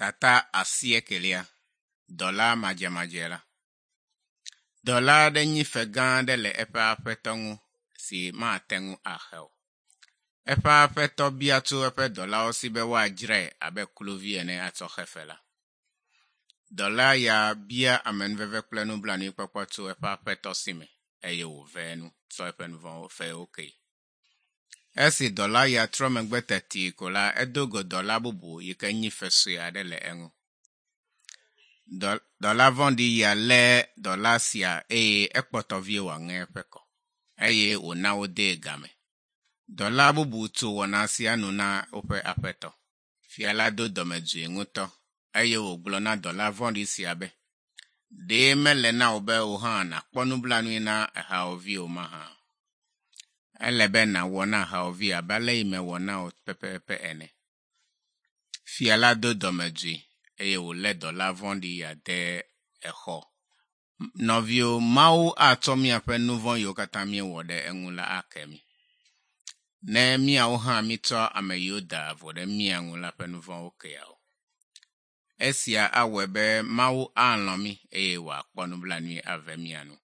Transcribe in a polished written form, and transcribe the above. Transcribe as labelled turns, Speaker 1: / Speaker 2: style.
Speaker 1: Tata asiekelia, Dɔla madzemadze la. Dɔla aɖe nyi fe gã aɖe le eƒe aƒetɔ ŋu si mate ŋu axe o. Eƒe aƒetɔ bia tso eƒe dɔlawo si be woadzrae abe kluvi ene atsɔ xe fe la. Dɔla ya bia amenuveve kple nublanuikpɔkpɔ tso eƒe aƒetɔ si me eye wòve enu tsɔ eƒe nuvɔ̃wo fewo kee. Esi dɔla ya trɔ megbe teti ko la, edo go dɔla bubu yi ke nyi fe sue aɖe le eŋu. Dɔ, dɔla vɔ̃ɖi ya lé dɔla sia eye ekpɔtɔ vie wòaŋe eƒe kɔ eye wòna wodee game. Dɔla bubu tso wɔna sia nu na woƒe aƒetɔ. Fia la do dɔmedzoe ŋutɔ eye wògblɔ na dɔla vɔ̃ɖi sia be, Ɖe mele na wò be wò hã nàkpɔ nublanui na ehawòvi o mahã? Ele be nàwɔ na hawòvi abe ale yi mewɔ na wò pɛpɛpɛ ene. Fia la do dɔmedzoe eye wòlé dɔla vɔ̃ɖi ya de exɔ. Nɔviwo, Mawu atsɔ míaƒe nu vɔ̃ yiwo katã míewɔ ɖe eŋu la ake mí. Ne míawo hã míetsɔ ame yiwo da vo ɖe mía ŋu la ƒe nu vɔ̃wo keawo. Esia awɔe be Mawu alɔ̃ mí eye wòakpɔ nublanui ave mía nu.